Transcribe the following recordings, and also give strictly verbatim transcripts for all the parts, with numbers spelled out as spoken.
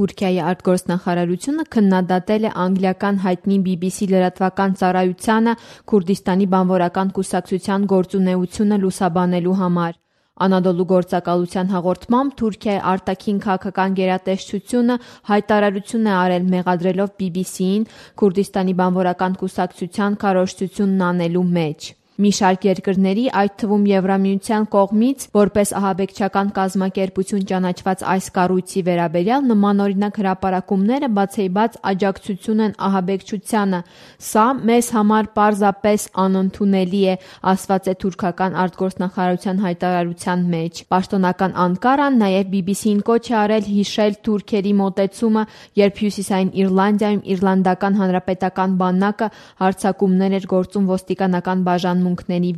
Թուրքիայի արտգործնախարարությունը քննադատել է անգլիական հայտնի բի բի սի լրատվական ծառայությանը Քուրդիստանի բանվորական կուսակցության գործունեությունը լուսաբանելու համար։ Անադոլու գործակալության հաղորդմամբ Թուրքիայի արտաքին քաղաքական գերատեսչությունը հայտարարություն է արել մեղադրելով բի բի սիին Քուրդիստանի բանվորական կուսակցության քարոզչությունն անելու մեջ։ Մի շարք երկրների, այդ թվում Եվրամիության կողմից որպես ահաբեկչական կազմակերպություն ճանաչված այս կառույցի վերաբերյալ նմանօրինակ հրապարակումները բացեիբաց աջակցություն են ահաբեկչությանը։ Սա մեզ համար պարզապես անընդունելի է, ասված է թուրքական արտգործնախարարության հայտարարության մեջ։ Պաշտոնական Անկարան նաև բի բի սիին կոչ է արել հիշել թուրքերի մոտեցումը, երբ Հյուսիսային Իռլանդիայում Իռլանդական հանրապետական բանակը հարձակումներ էր գործում ոստիկանական բաժանմունքների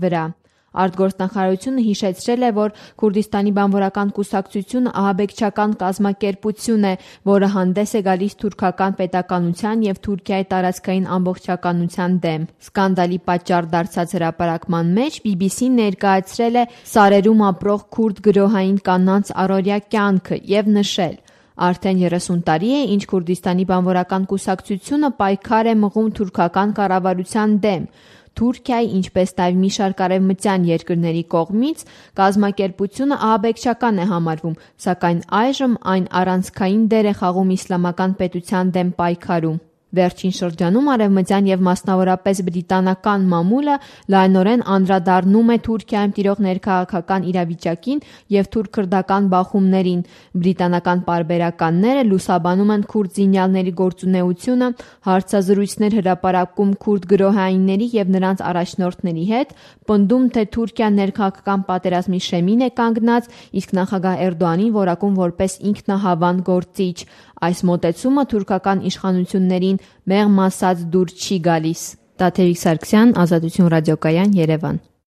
վրա։ Արտգործնախարարությունը հիշեցրել է, որ Քուրդիստանի բանվորական կուսակցությունը ահաբեկչական կազմակերպություն է, որը հանդես է գալիս թուրքական պետականության և Թուրքիայի տարածքային ամբողջականության դեմ։ Սկանդալի պատճառ դարձած հրապարակման մեջ բի բի սին ներկայացրել է սարերում ապրող քուրդ գրոհային կանանց առօրյա կյանքը և նշել. Արդեն երեսուն տարի է, ինչ Քուրդիստանի բանվորական կուսակցությունը պայքար է մղում թուրքական կառավարության դեմ։ Թուրքիայի, ինչպես նաև մի շարք արևմտյան երկրների կողմից կազմակերպությունը ահաբեկչական է համարվում, սակայն այժմ այն առանցքային դեր է խաղում իսլամական պետության դեմ պայքարում։ Վերջին շրջանում արևմտյան և մասնավորապես բրիտանական մամուլը լայնորեն անդրադառնում է Թուրքիայում տիրող ներքաղաքական իրավիճակին և թուրք-քրդական բախումներին։ Բրիտանական պարբերականները լուսաբանում են քուրդ զինյալների գործունեությունը, հարցազրույցներ հրապարակում քուրդ գրոհայինների և նրանց առաջնորդների հետ, պնդում, թե Թուրքիան ներքաղաքական պատերազմի շեմին է կանգնած, իսկ նախագահ Էրդողանին որակում որպես ինքնահավան գործիչ։ Այս մոտեցումը թուրքական իշխանություններին մեղմ ասած դուր չի գալիս։ Տաթևիկ Սարգսյան, Ազատություն ռադիոկայան, Երևան։